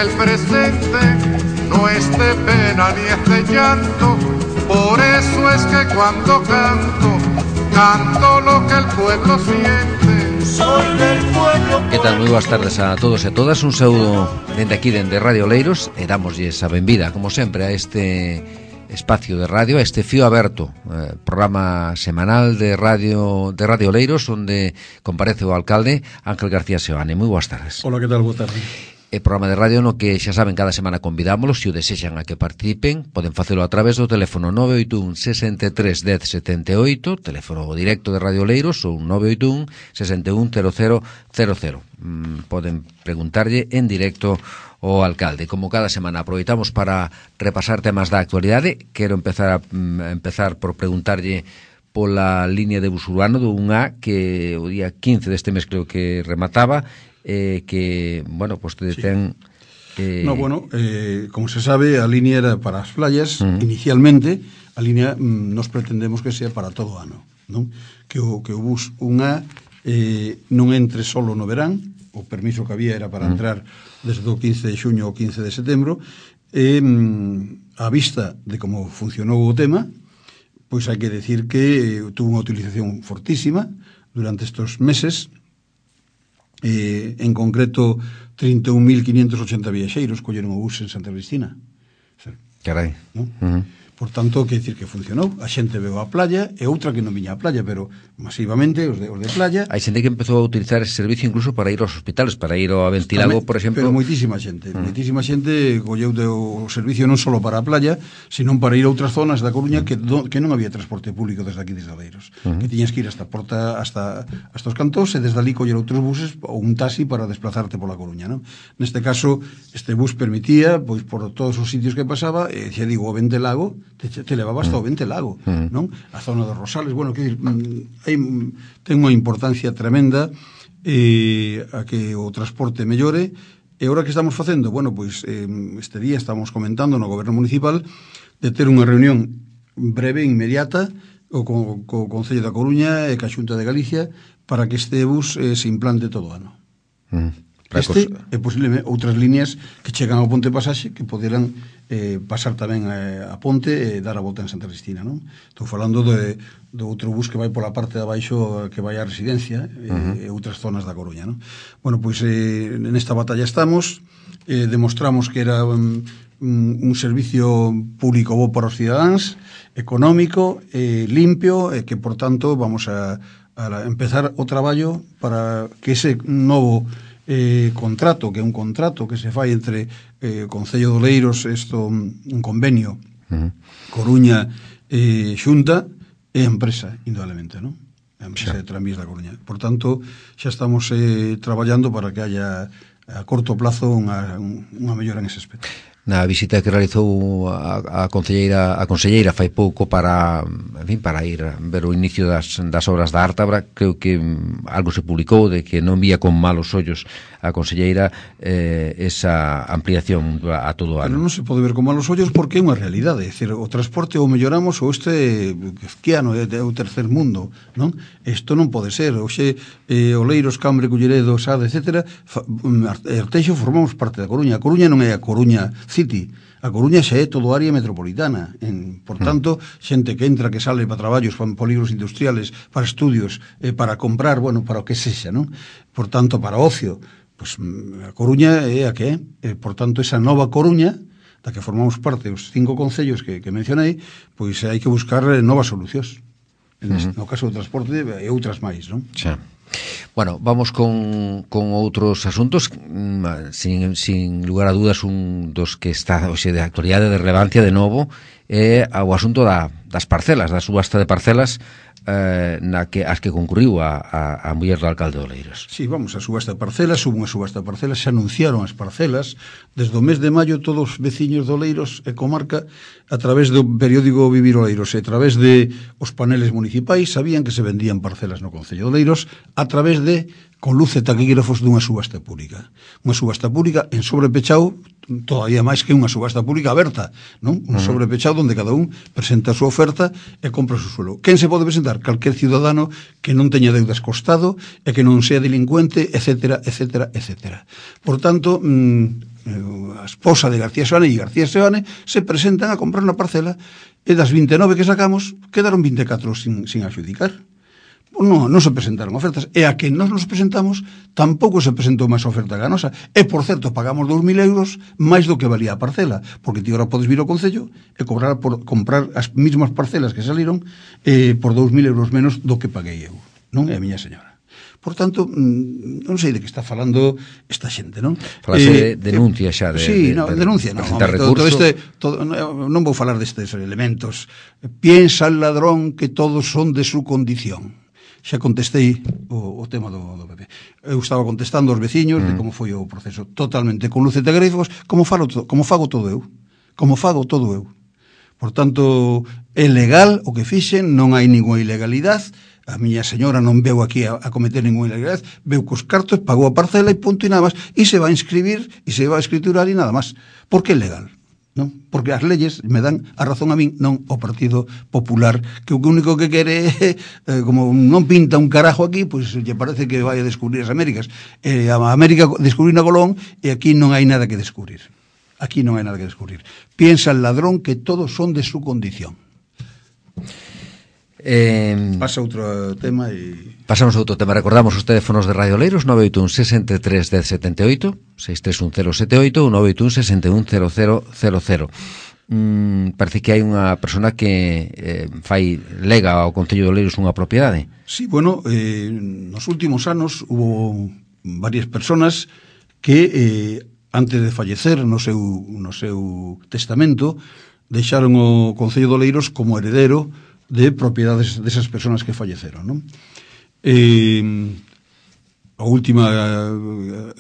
el presente no es de pena ni es de llanto. Por eso es que cuando canto, canto lo que el pueblo siente. Soy del pueblo. Que tal? Moi boas tardes a todos e todas. Un saúdo dende aquí, dende Radio Oleiros, e damoslle a benvida, como sempre, a este espacio de radio, a este Fío Aberto, programa semanal de Radio Oleiros, onde comparece o alcalde Ángel García Seoane. Moi boas tardes. Hola, que tal? Boa tarde. E programa de radio no que xa saben cada semana convidámoslos, se o desexan a que participen, poden facelo a través do teléfono 981 63 10 78, teléfono directo de Radio Oleiros, ou 981 61 0000. Poden preguntarlle en directo ao alcalde. Como cada semana aproveitamos para repasar temas da actualidade, quero empezar por preguntarlle pola línea de bus urbano do 1A, que o día 15 deste mes creo que remataba, que, bueno, pues te ten... como se sabe, a línea era para as playas. Inicialmente, a línea nos pretendemos que sea para todo o ano, non? Que o bus 1A non entre solo no verán. O permiso que había era para entrar desde o 15 de xuño ao 15 de setembro. A vista de como funcionou o tema, pois hai que decir que tuvo unha utilización fortísima durante estes meses. En concreto 31.580 viaxeiros colleron o bus en Santa Cristina. Carai, ¿no? Por tanto, quer dicir que funcionou. A xente veu á playa, e outra que non viña á playa, pero masivamente os de playa. Hai xente que empezou a utilizar ese servicio incluso para ir aos hospitales, para ir ao Ventilago, por exemplo. Pero moitísima xente colleu o servicio non só para a playa, sino para ir a outras zonas da Coruña que non había transporte público desde aquí, desde Oleiros, que tiñas que ir hasta Porta, hasta os cantós, e desde ali coller outros buses ou un taxi para desplazarte pola Coruña, non? Neste caso, este bus permitía, pois por todos os sitios que pasaba, xa digo, o Ventelago te levaba hasta o Ventelago, non? A zona dos Rosales, bueno, que ten unha importancia tremenda a que o transporte mellore. E agora que estamos facendo? Bueno, pois este día estamos comentando no Goberno Municipal de ter unha reunión breve, inmediata, co Concello da Coruña e ca Xunta de Galicia para que este bus se implante todo o ano. E posiblemente outras líneas que chegan ao Ponte Pasaxe que poderán pasar tamén a Ponte e dar a volta en Santa Cristina, non? Estou falando do outro bus que vai pola parte de abaixo, que vai á Residencia e outras zonas da Coruña, non? Bueno, pois nesta batalla estamos, demostramos que era un servicio público bo para os cidadáns, económico, limpio, e que, por tanto, vamos a empezar o traballo para que ese novo contrato, que é un contrato que se fai entre Concello de Oleiros, un convenio Coruña Xunta e empresa, indudablemente, non? A empresa de Tranvías da Coruña. Por tanto, xa estamos traballando para que haya a corto plazo unha mellora en ese aspecto. Na visita que realizou a conselleira fai pouco para ir ver o inicio das obras da Ártabra, creo que algo se publicou de que non vía con malos ollos a conselleira esa ampliación a todo o ano. Pero non se pode ver con malos ollos porque é unha realidade, é dicir, o transporte o melloramos ou este que ano é o tercer mundo, non? Isto non pode ser. Hoxe Oleiros, Cambre, Culleredo, Sade, etc. Arteixo formamos parte da Coruña. A Coruña non é a Coruña City. A Coruña xa é todo área metropolitana. Por tanto, xente que entra, que sale para traballos, para polígonos industriales, para estudios, para comprar, bueno, para o que sexa, non? Por tanto, para ocio, pois a Coruña é a que é. Por tanto, esa nova Coruña, da que formamos parte os 5 concellos que mencionei, pois hai que buscar novas solucións. No caso do transporte e outras máis, non? Xa. Bueno, vamos con outros asuntos. Sin lugar a dudas, un dos que está hoxe de actualidade, de relevancia de novo, é o asunto das parcelas, da subasta de parcelas as que concurriu a muller do alcalde de Oleiros. Sí, vamos, a subasta de parcelas, hubo unha subasta de parcelas, se anunciaron as parcelas, desde o mes de maio todos os veciños de Oleiros e comarca, a través do periódico Vivir Oleiros e a través de os paneles municipais, sabían que se vendían parcelas no Concello de Oleiros a través de, con luz e taquígrafos, dunha subasta pública. Unha subasta pública en sobrepechao, todavía máis que unha subasta pública aberta, non? Un sobrepechado onde cada un presenta a súa oferta e compra o seu suelo. Quen se pode presentar? Calquer ciudadano que non teña deudas co Estado e que non sea delincuente, etcétera, etcétera, etcétera. Por tanto, a esposa de García Seoane e García Seoane se presentan a comprar unha parcela e das 29 que sacamos quedaron 24 sin adjudicar. Non se presentaron ofertas, e a que nos presentamos tampouco se presentou máis oferta ganosa, e por certo pagamos 2.000 euros máis do que valía a parcela, porque ti ahora podes vir ao Concello e cobrar por comprar as mesmas parcelas que saliron por 2.000 euros menos do que paguei eu, non? É a miña señora. Por tanto, non sei de que está falando esta xente, non? Falase de denuncia xa. Denuncia, non. Non vou falar destes elementos. Piensa el ladrón que todos son de su condición. Xa contestei o tema do PP. Eu estaba contestando aos veciños de como foi o proceso, totalmente con luces de grifos, como fago todo eu. Por tanto, é legal o que fixen, non hai ninguna ilegalidade. A miña señora non veu aquí a cometer ninguna ilegalidade, veu cos cartos, pagou a parcela e punto e nada máis, e se va a inscribir e se va a escriturar e nada máis. Por que é legal? Non? Porque as leyes me dan a razón a min, non o Partido Popular, que o único que quere é, como non pinta un carajo aquí, pois lle parece que vai a descubrir as Américas. A América descubrir na Colón e aquí non hai nada que descubrir. Piensa el ladrón que todos son de su condición. Pasa outro tema e... Pasamos a outro tema. Recordamos os teléfonos de Radio Oleiros: 981 63 1078, 63178, ou 981 610000. Parece que hai unha persona que lega ao Concello de Oleiros unha propiedade. Sí, bueno, nos últimos anos hubo varias personas que antes de fallecer no seu testamento deixaron o Concello de Oleiros como heredero de propiedades desas persoas que falleceron, non? A última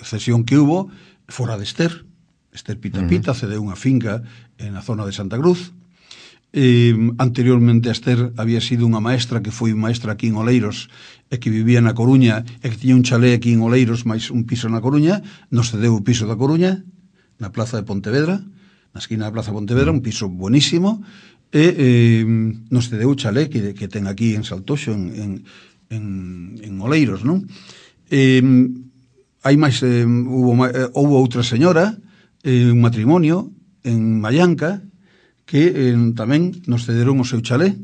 cesión que hubo fora de Esther Pita cedeu unha finca na zona de Santa Cruz. Anteriormente a Esther había sido unha maestra que foi maestra aquí en Oleiros e que vivía na Coruña e que tiña un chalé aquí en Oleiros máis un piso na Coruña. Nos cedeu o piso da Coruña na plaza de Pontevedra, na esquina da plaza de Pontevedra, un piso buenísimo, e nos cedeu o chalé que ten aquí en Saltoxo, en Oleiros, non? Hai máis, houve outra señora, un matrimonio en Mallanca, que tamén nos cederon o seu chalé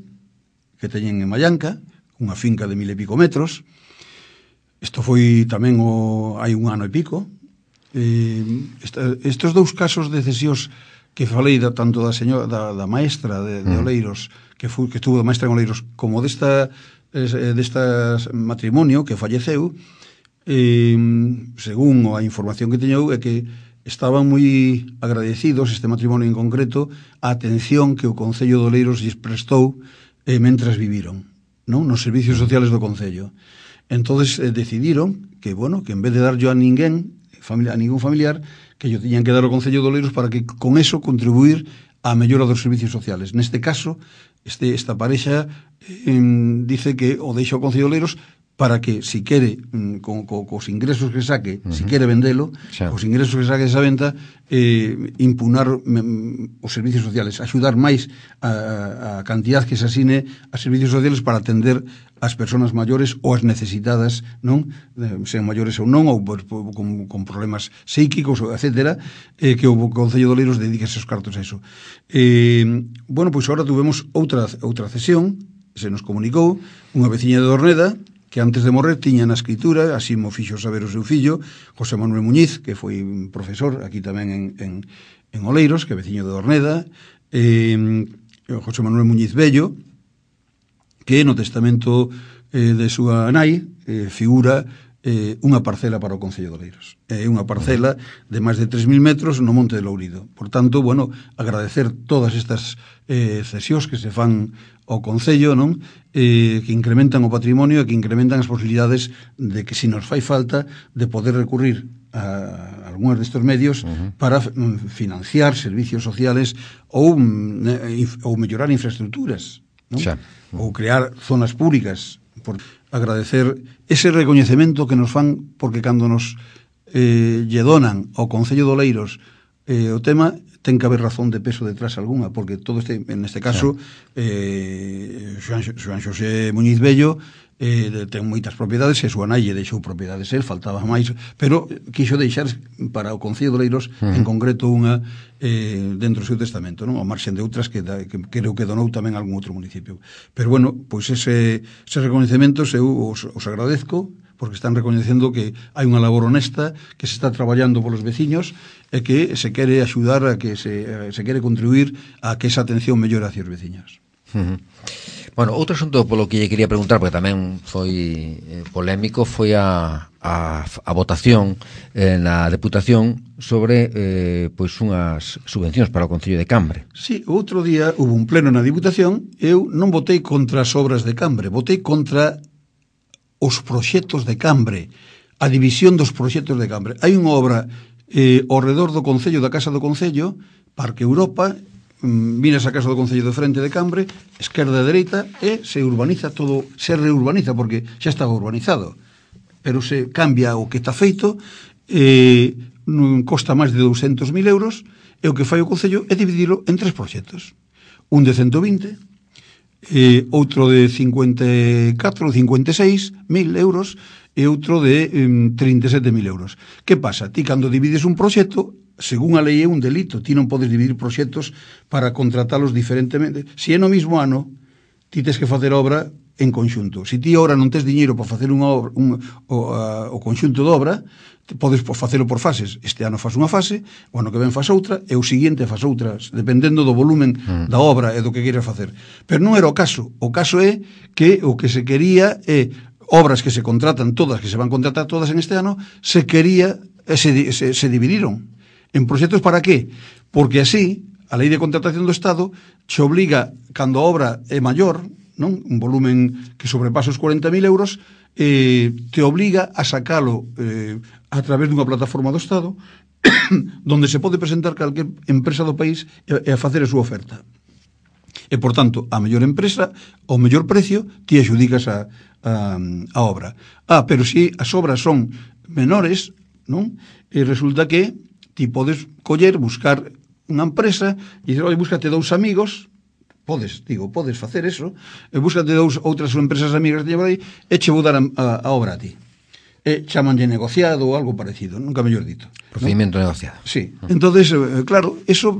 que teñen en Mallanca, unha finca de 1000 e pico metros. Isto foi tamén hai un ano e pico. Estes dous casos de cesións que falei tanto da señora da maestra de Oleiros, que estuvo de maestra en Oleiros, como desta matrimonio que falleceu, según a información que teño é que estaban moi agradecidos, este matrimonio en concreto, a atención que o Concello de Oleiros lles prestou mentras viviron, non? Nos servicios sociales do Concello. Entonces decidiron que, bueno, que en vez de dar yo a ningún familiar, que yo tiñan que dar ao Concello de Oleiros para que con eso contribuir á mellora dos servicios sociales. Neste caso, esta parexa dice que o deixa ao Concello de Oleiros para que, si quere, cos ingresos que saque, si quere vendelo, os ingresos que saque desa venta, impunar os servicios sociales, axudar máis a cantidad que se asine a servicios sociales para atender as persoas maiores ou as necesitadas, non? Sean maiores ou non, ou con problemas psíquicos, etcétera, que o Concello de Oleiros dedíquese os cartos a eso. Bueno, pois agora tuvemos outra cesión, se nos comunicou, unha veciña de Dorneda, que antes de morrer tiña na escritura, así mo fixo saber o seu fillo, José Manuel Muñiz, que foi profesor aquí tamén en Oleiros, que é veciño de Dorneda, José Manuel Muñiz Bello, que no testamento de súa nai figura unha parcela para o Concello de Oleiros. É unha parcela de máis de 3.000 metros no Monte de Lourido. Por tanto, bueno, agradecer todas estas cesións que se fan ao Concello, non? Que incrementan o patrimonio e que incrementan as posibilidades de que, se nos fai falta, de poder recurrir a algúns destes medios para financiar servicios sociales ou mellorar infraestructuras, non? Ou crear zonas públicas. Por agradecer ese recoñecemento que nos fan, porque cando nos lle donan ao Concello de Oleiros o tema ten que haber razón de peso detrás algunha, porque todo neste caso Xoan Xosé Muñiz Bello ten moitas propiedades e súa nai deixou propiedades, faltaba máis, pero quixo deixar para o Concello de Oleiros en concreto unha dentro do seu testamento, non? Ao marxen de outras que creo que donou tamén algún outro municipio. Pero bueno, pois ese recoñecementos eu os agradezco, porque están recoñecendo que hai unha labor honesta, que se está traballando polos veciños e que se quere axudar a que se quere contribuir a que esa atención mellore hacia os veciños. Bueno, outro asunto polo que lle quería preguntar, porque tamén foi polémico, foi a votación na Deputación sobre pois unhas subvencións para o Concello de Cambre. Sí, outro día hubo un pleno na Diputación, eu non votei contra as obras de Cambre, votei contra os proxectos de Cambre, a división dos proxectos de Cambre. Hai unha obra ao redor do Concello, da Casa do Concello, Parque Europa, miras a Casa do Concello de frente de Cambre, esquerda e dereita, e se urbaniza todo, se reurbaniza, porque xa estaba urbanizado, pero se cambia o que está feito, non costa máis de 200.000 euros, e o que fai o Concello é dividilo en 3 proxectos. Un de 120, outro de 54 ou 56.000 euros, e outro de 37.000 euros. Que pasa? Ti, cando divides un proxecto, según a lei é un delito, ti non podes dividir proxectos para contratalos diferentemente. Se é no mesmo ano, ti tes que facer obra en conxunto. Se ti ahora non tes diñeiro para facer unha obra, o conxunto de obra, podes facelo por fases. Este ano faz unha fase, o ano que ven faz outra, e o seguinte faz outras, dependendo do volumen da obra e do que queiras facer. Pero non era o caso. O caso é que o que se quería é obras que se contratan todas, que se van contratar todas en este ano, se quería, se dividiron en proxectos. Para qué? Porque así a lei de contratación do Estado che obliga, cando a obra é maior, non? Un volumen que sobrepasa os 40.000 euros, te obliga a sacalo a través dunha plataforma do Estado donde se pode presentar calquer empresa do país e a facer a súa oferta. E, por tanto, a mellor empresa, ao mellor precio, ti adxudicas a obra. Pero se as obras son menores, non? E resulta que ti podes coller, buscar unha empresa e dizer, oi, búscate 2 amigos, podes facer eso, e búscate outras empresas amigas de aí, e che vou dar a obra a ti. E chamanlle negociado ou algo parecido, nunca mellor dito. Procedimento negociado. Sí. Entonces, claro, eso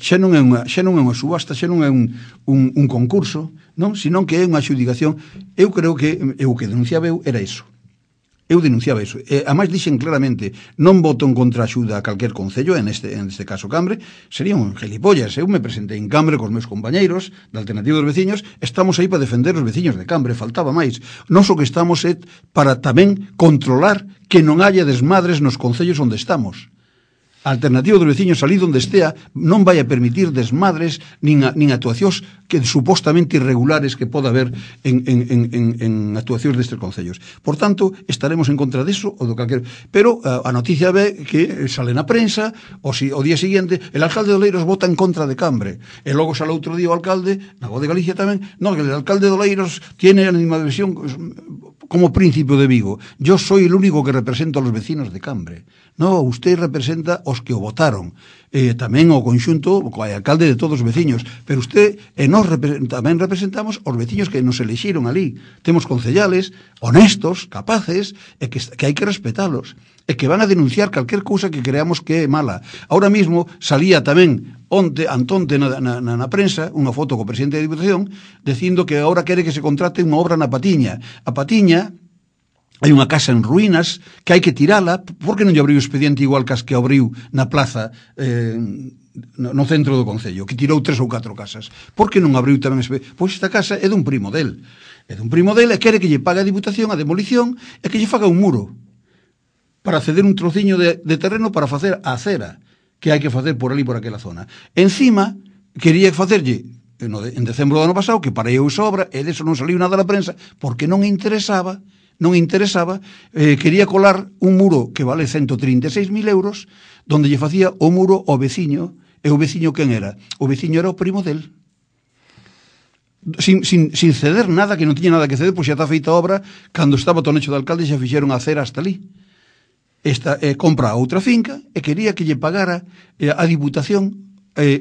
xa non é unha subasta, xa non é un concurso, non? Senón que é unha adxudicación. Eu creo que o que denunciaba eu era eso. Eu denunciaba iso. A máis dixen claramente, non voto en contra a axuda a calquer concello, en este caso Cambre, sería un gelipollas. Eu me presentei en Cambre cos meus compañeiros da Alternativa dos Veciños, estamos aí para defender os veciños de Cambre, faltaba máis. Nos o que estamos é para tamén controlar que non haya desmadres nos concellos onde estamos. A Alternativa dos Veciños, ali onde estea, non vai a permitir desmadres nin actuacións que supostamente irregulares que poda haber en actuacións destes concellos. Por tanto, estaremos en contra deso ou do calquer. Pero a noticia ve que sale na prensa, o día seguinte, el alcalde de Oleiros vota en contra de Cambre. E logo sale outro día o alcalde, na Voz de Galicia tamén, no, que el alcalde de Oleiros tiene a animadversión como príncipe de Vigo. Yo soy el único que represento a los vecinos de Cambre. No, usted representa os que o votaron. Tamén o conxunto, o alcalde de todos os veciños. Pero usted e nós tamén representamos os veciños que nos elixiron ali. Temos concellales honestos, capaces, e que hai que respetalos. E que van a denunciar calquer cousa que creamos que é mala. Ahora mismo salía tamén antonte na prensa unha foto co presidente da Diputación dicindo que agora quere que se contrate unha obra na Patiña. A Patiña hai unha casa en ruínas que hai que tirala. Por que non lle abriu o expediente igual que as que abriu na plaza no centro do Concello, que tirou 3 ou 4 casas? Por que non abriu tamén expediente? Pois esta casa é dun primo del. É dun primo del e quere que lle pague a Diputación a demolición e que lle faga un muro para ceder un trociño de terreno para facer a acera que hai que facer por ali, por aquela zona. Encima, quería facerlle en decembro do ano pasado, que parei esa obra, e deso non saliu nada na prensa, porque non interesaba, quería colar un muro que vale 136.000 euros, donde lle facía o muro ao veciño, e o veciño quen era? O veciño era o primo del. Sin ceder nada, que non tiña nada que ceder, pois xa está feita a obra, cando estaba Tonecho de alcalde xa fixeron a acera hasta ali. compra outra finca e quería que lle pagara a Diputación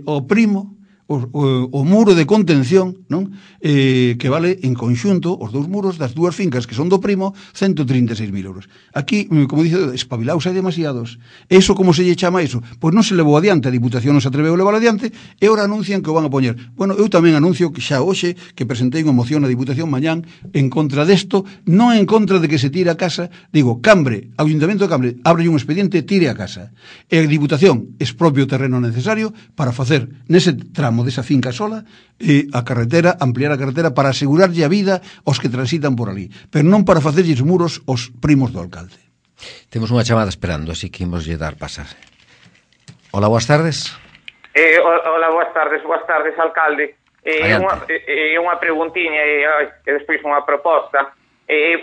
o primo o muro de contención, non? Que vale en conxunto os dous muros das dúas fincas que son do primo 136.000 euros. Aquí, como dice, espabilaos hai demasiados. Eso como se lle chama eso? Pois non se levou adiante, a Diputación non se atreveu a levar adiante e ora anuncian que o van a poñer. Bueno, eu tamén anuncio que xa hoxe que presentei unha moción na Diputación mañán en contra desto, non en contra de que se tire a casa, digo, Cambre, Ayuntamiento de Cambre, abre un expediente, tire a casa. E a Diputación expropia o terreno necesario para facer nese tramo desa finca sola a carretera, ampliar a carretera para asegurarlle a vida aos que transitan por ali, pero non para facerlles muros aos primos do alcalde. Temos unha chamada esperando, así que imos lle dar pasar. Hola, boas tardes. Hola, boas tardes, alcalde. Unha preguntiña e despois unha proposta.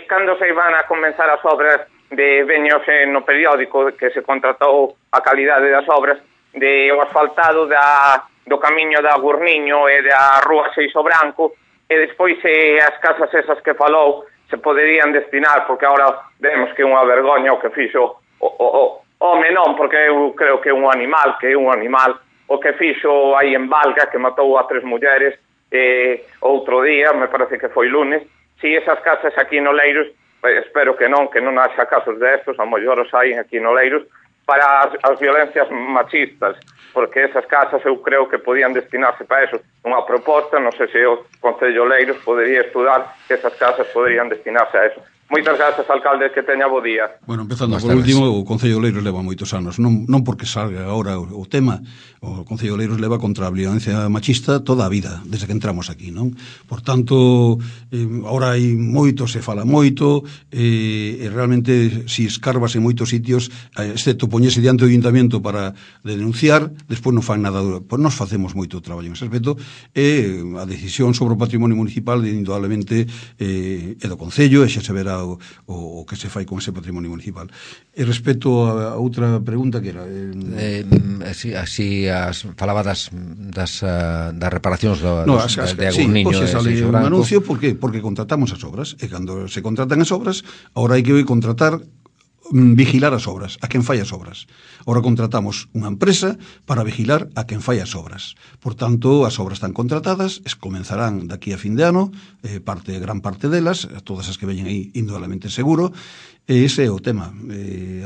Cando se van a comenzar as obras de veños no periódico que se contratou a calidade das obras de o asfaltado do camiño da Gurniño e da Rúa Seixo Branco e despois as casas esas que falou se poderían destinar, porque agora vemos que é unha vergoña o que fixo o home non, porque eu creo que é un animal o que fixo aí en Valga, que matou a 3 mulleres outro día, me parece que foi lunes. Si esas casas aquí en Oleiros, espero que non haxa casos destos, a mellor os hai aquí en Oleiros, para as violencias machistas, porque esas casas eu creo que podían destinarse para eso. Unha proposta, non sei se o Concello Oleiros podería estudar que esas casas poderían destinarse a eso. Moitas grazas, alcalde, que teña bo día. Bueno, empezando por último, o Concello Oleiros leva moitos anos, non porque salga agora o tema, o Concello Oleiros leva contra a violencia machista toda a vida, desde que entramos aquí, non? Por tanto, agora hai moito, se fala moito, e realmente, si escarbas en moitos sitios, excepto poñese diante do Ayuntamiento para denunciar, despois non fan nada duro. Pois nos facemos moito traballo en ese aspecto, e a decisión sobre o patrimonio municipal, indudablemente, é do Concello, e xa se verá o que se fai con ese patrimonio municipal. E respecto a outra pregunta que era así falaba das reparacións de Agurniño e Seixo Branco. Un anuncio, porque contratamos as obras, e cando se contratan as obras, agora hai que contratar, vigilar as obras, a quen fai as obras. Ahora contratamos unha empresa para vigilar a quen fai as obras. Por tanto, as obras están contratadas, comenzarán daqui a fin de ano, gran parte delas, todas as que veñen aí indudablemente seguro, e ese é o tema.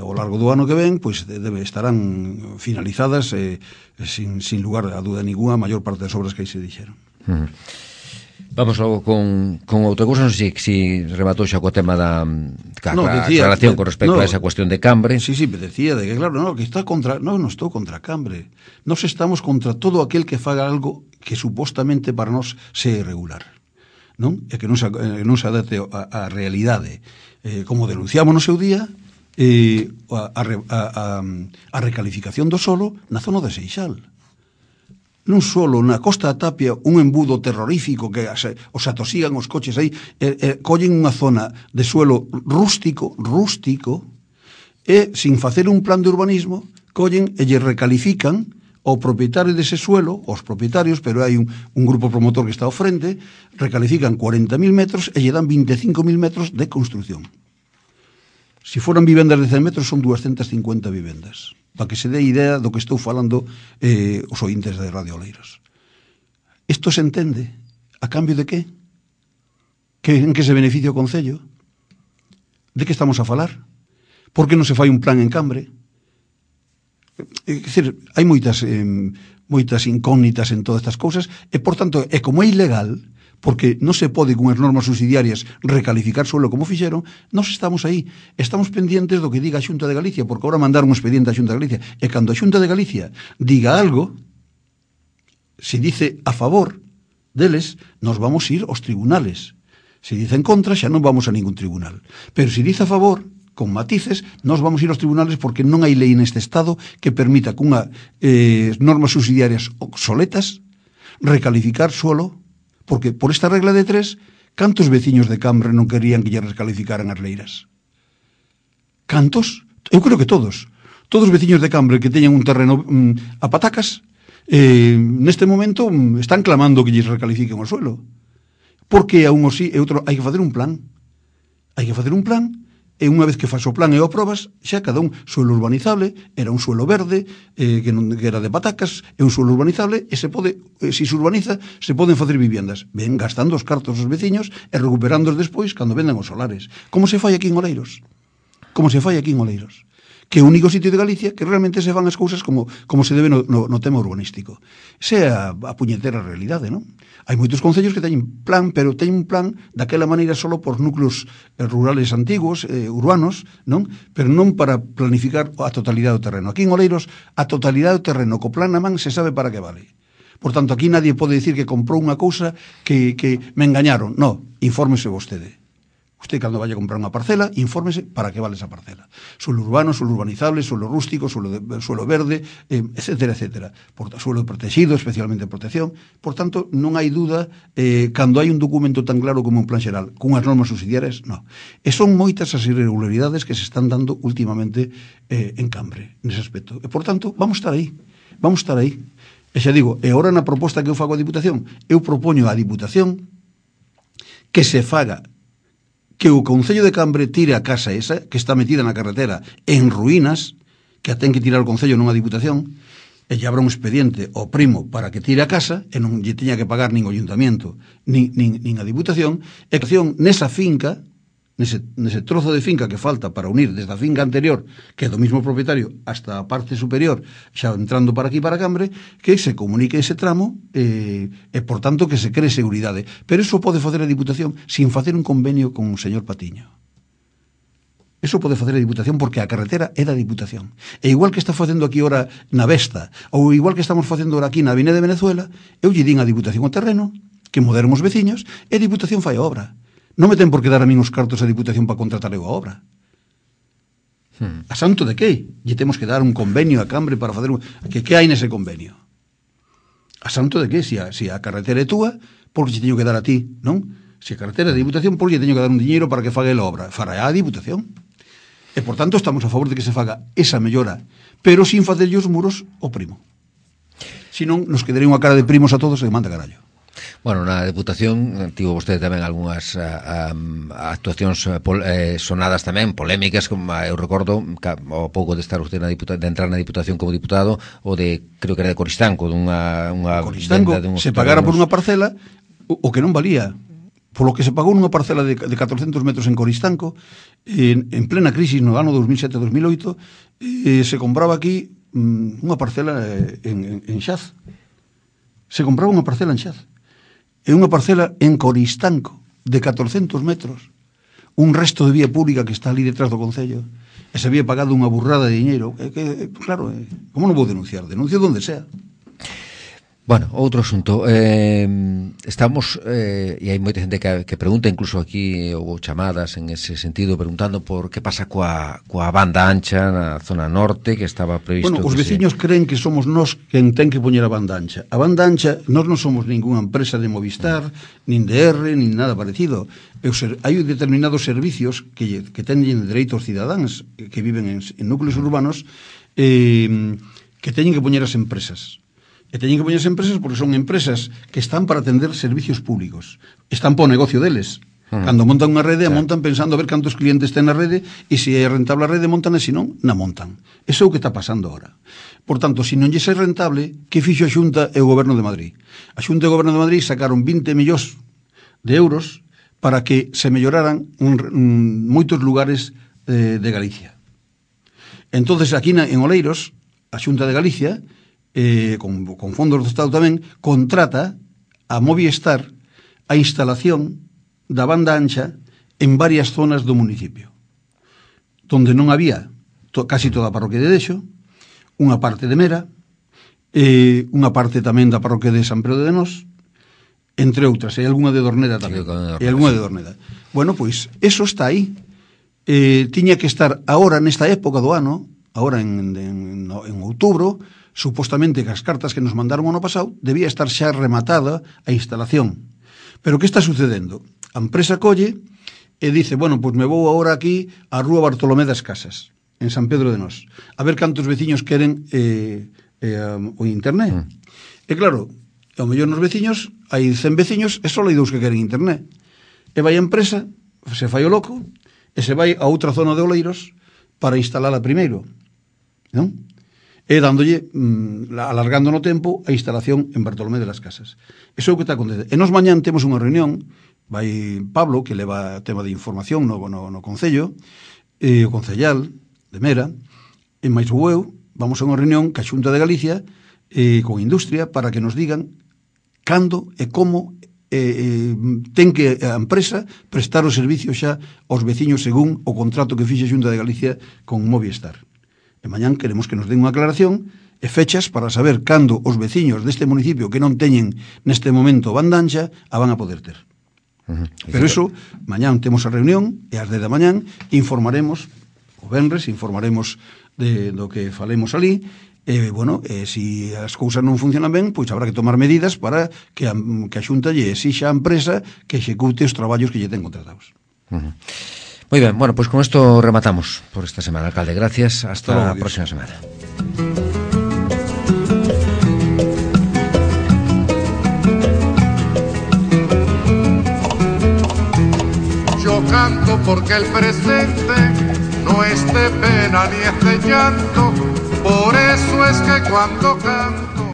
Ao largo do ano que ven, pois estarán finalizadas sin lugar a duda ninguna a maior parte das obras que aí se dixeron. Vamos logo con outra cousa, non sei se rematou xa co tema da aclaración con respecto a esa cuestión de Cambre. Sí, me decía de que claro, que está contra, non estou contra Cambre. Nós estamos contra todo aquel que faga algo que supostamente para nós se irregular, non? E que non se adapte á realidade. Como denunciamos no seu día, a recalificación do solo na zona de Seixal. Non solo na Costa da Tapia, un embudo terrorífico que os atosigan os coches aí, collen unha zona de suelo rústico, e sin facer un plan de urbanismo, collen e lle recalifican ao propietario dese suelo, aos propietarios, pero hai un grupo promotor que está ao frente, recalifican 40.000 metros e lle dan 25.000 metros de construcción. Si foran vivendas de 100 metros, son 250 vivendas. Para que se dé idea do que estou falando os ointes de Radio Oleiros. Isto se entende a cambio de que? En que se beneficia o Concello? De que estamos a falar? Por que non se fai un plan en Cambre? É dicir, hai moitas incógnitas en todas estas cousas e, por tanto, como é ilegal, porque non se pode con as normas subsidiarias recalificar suelo como fixeron, nós estamos aí, estamos pendientes do que diga a Xunta de Galicia, porque agora mandaron un expediente a Xunta de Galicia, e cando a Xunta de Galicia diga algo, se dice a favor deles, nos vamos ir aos tribunales. Se dice en contra, xa non vamos a ningún tribunal. Pero se dice a favor, con matices, nos vamos ir aos tribunales porque non hai lei neste Estado que permita con normas subsidiarias obsoletas recalificar suelo. Porque por esta regla de 3, cantos veciños de Cambre non querían que lle recalificaran as leiras? Cantos? Eu creo que todos. Todos os veciños de Cambre que teñan un terreno a patacas, neste momento están clamando que lles recalifiquen o suelo. Porque a un ou sí e outro hai que facer un plan. Hai que facer un plan e unha vez que faz o plan e o aprobas, xa cada un suelo urbanizable, era un suelo verde, que era de patacas, é un suelo urbanizable, e se pode, se urbaniza, se poden facer viviendas. Ven gastando os cartos os veciños e recuperándoos despois cando vendan os solares. Como se fai aquí en Oleiros? Como se fai aquí en Oleiros? Que é o único sitio de Galicia que realmente se fan as cousas como se debe no tema urbanístico. Esa é a puñetera realidade, non? Hai moitos concellos que teñen plan, pero teñen un plan daquela maneira solo por núcleos rurales antigos, urbanos, non? Pero non para planificar a totalidade do terreno. Aquí en Oleiros, a totalidade do terreno co plan na man se sabe para que vale. Por tanto, aquí nadie pode dicir que comprou unha cousa que me engañaron. No, infórmese vostede. Usted, cando vaya a comprar unha parcela, infórmese para que vale esa parcela. Suelo urbano, suelo urbanizable, suelo rústico, suelo verde, etcétera, etcétera. Suelo protegido, especialmente protección. Por tanto, non hai duda, cando hai un documento tan claro como un plan xeral, cunhas normas subsidiarias, non. E son moitas as irregularidades que se están dando últimamente en Cambre, nese aspecto. E, por tanto, vamos estar aí. Vamos estar aí. E xa digo, e agora na proposta que eu fago a Diputación, eu propoño á Diputación que se faga que o Concello de Cambre tire a casa esa, que está metida na carretera en ruínas, que a ten que tirar o Concello non a Diputación, e lle abra un expediente ao primo para que tire a casa, e non lle teña que pagar nin o Ayuntamiento, nin a Diputación, e que nesa finca, nese trozo de finca que falta para unir desde a finca anterior, que é do mismo propietario, hasta a parte superior, xa entrando para aquí, para Cambre, que se comunique ese tramo e por tanto, que se cree seguridade. Pero iso pode facer a Diputación sin facer un convenio con o señor Patiño. Iso pode facer a Diputación porque a carretera é da Diputación. E igual que está facendo aquí ora na Vesta, ou igual que estamos facendo ora aquí na Avenida de Venezuela, eu lle din a Diputación o terreno, que moderemos veciños, e a Diputación fai a obra. Non me ten por que dar a min os cartos a Diputación para contratar eu a obra. A santo de que? Lle temos que dar un convenio a Cambre para facer que hai nese convenio? A santo de que? Se a carretera é túa, por que lle teño que dar a ti, non? Se a carretera é de Diputación, por que lle teño que dar un diñeiro para que faga a obra? Fará a Diputación. E, por tanto, estamos a favor de que se faga esa mellora, pero sin facerlle os muros ao primo. Senón, nos quedaría unha cara de primos a todos e manda carallo. Bueno, na Deputación tivo vostede tamén algunhas actuacións sonadas tamén, polémicas, como eu recordo ao pouco de estar usted de entrar na Diputación como diputado, o de, creo que era de Coristanco, dunha Coristanco, se pagara por unha parcela o que non valía, polo que se pagou nunha parcela de 400 metros en Coristanco, en plena crisis no ano 2007-2008, se compraba aquí unha parcela en Xaz. Se compraba unha parcela en Xaz. É unha parcela en Coristanco de 400 metros, un resto de vía pública que está ali detrás do Concello, e se había pagado unha burrada de diñeiro. Claro, como non vou denunciar? Denuncio donde sea. Bueno, outro asunto, estamos, e hai moita xente que pregunta, incluso aquí houve chamadas en ese sentido, preguntando por que pasa coa banda ancha na zona norte, que estaba previsto. Bueno, os veciños creen que somos nós quen ten que poñer a banda ancha. A banda ancha, nós non somos ninguna empresa de Movistar, nin de R, nin nada parecido. Hai determinados servicios que teñen dereito aos cidadáns que viven en núcleos urbanos que teñen que poñer as empresas. E teñen que poñerse empresas porque son empresas que están para atender servicios públicos. Están para o negocio deles. Cando montan unha rede, montan pensando a ver cantos clientes ten na rede, e se é rentable a rede, montan, e se non, na montan. Eso é o que está pasando agora. Por tanto, se non lle é rentable, que fixo a Xunta e o Goberno de Madrid? A Xunta e o Goberno de Madrid sacaron 20 millóns de euros para que se melloraran moitos lugares de Galicia. Entonces, aquí en Oleiros, a Xunta de Galicia, con fondos do Estado tamén, contrata a Movistar a instalación da banda ancha en varias zonas do municipio, donde non había casi toda a parroquia de Dexo, unha parte de Mera, unha parte tamén da parroquia de San Pedro de Nós, entre outras, e algunha de Dorneda tamén, e algunha de Dorneda. Bueno, pois, eso está aí. Tiña que estar agora, nesta época do ano, agora en outubro, supostamente que as cartas que nos mandaron o ano pasado debía estar xa rematada a instalación. Pero que está sucedendo? A empresa colle e dice, bueno, pois me vou agora aquí á Rúa Bartolomé das Casas, en San Pedro de Nós, a ver cantos veciños queren o internet. E claro, ao mellor nos veciños hai 100 veciños e só hai 2 que queren internet. E vai a empresa, se fai o loco, e se vai a outra zona de Oleiros para instalala primeiro, non? E dándolle, alargando no tempo, a instalación en Bartolomé de las Casas. Iso é o que está acontecendo. E nos mañán temos unha reunión, vai Pablo, que leva tema de información no Concello, o concellal de Mera, e máis o eu, vamos a unha reunión ca Xunta de Galicia con Industria para que nos digan cando e como ten que a empresa prestar o servicio xa aos veciños según o contrato que fixe a Xunta de Galicia con Movistar. E mañán queremos que nos den unha aclaración e fechas para saber cando os veciños deste municipio que non teñen neste momento banda ancha a van a poder ter. Pero iso, mañán temos a reunión e ás 10 da mañán informaremos, o venres informaremos do que falemos ali. Bueno, se as cousas non funcionan ben, pois habrá que tomar medidas para que a Xunta lle exixa a empresa que execute os traballos que lle ten contratados. Moi ben, bueno, pois con isto rematamos por esta semana, alcalde. Gracias, hasta a próxima semana. Yo canto porque el presente no es de pena ni es de llanto, por eso es que cuando canto